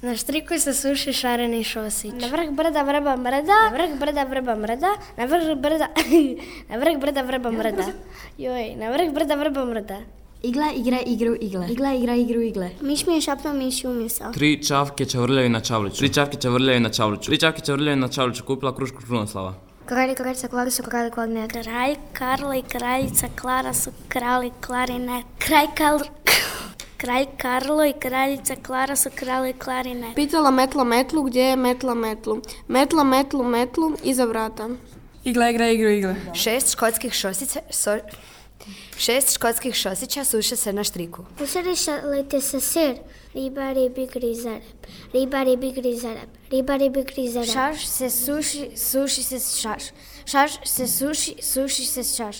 Na striku se suši šareni šosić. Na vrh brda vrba mrda, na vrh brda vrba mrda, na vrh brda, na vrh brda vrba mrda. Joj, na vrh brda vrba mrda. Igla igra igru igle. Igla igra igru igle. Miš mi je šapnuo miši umisa. 3 čavke čavrljaju na čavliću. 3 čavke čavrljaju na čavliću. 3 čavke čavrljaju na čavliću. Kupila krušku Krunoslava. Kralj i kraljica Klara su kralj klarnet. Kralj, Karla i kraljica Klara su kralj klarinet. Kralj Karlo i kraljica Klara su kralj klarinet. Pitala metla metlu gdje je metla metlu. Metla metlu metlu iza vrata. Igla igra igru igle. 6 škotskih šosića suše se na štriku. Ušarišalite se sir. Riba, ribi, grizareb. Riba, ribi, grizareb. Riba, ribi, grizareb. Šaš se suši, suši se šaš. Šaš se suši, suši se šaš.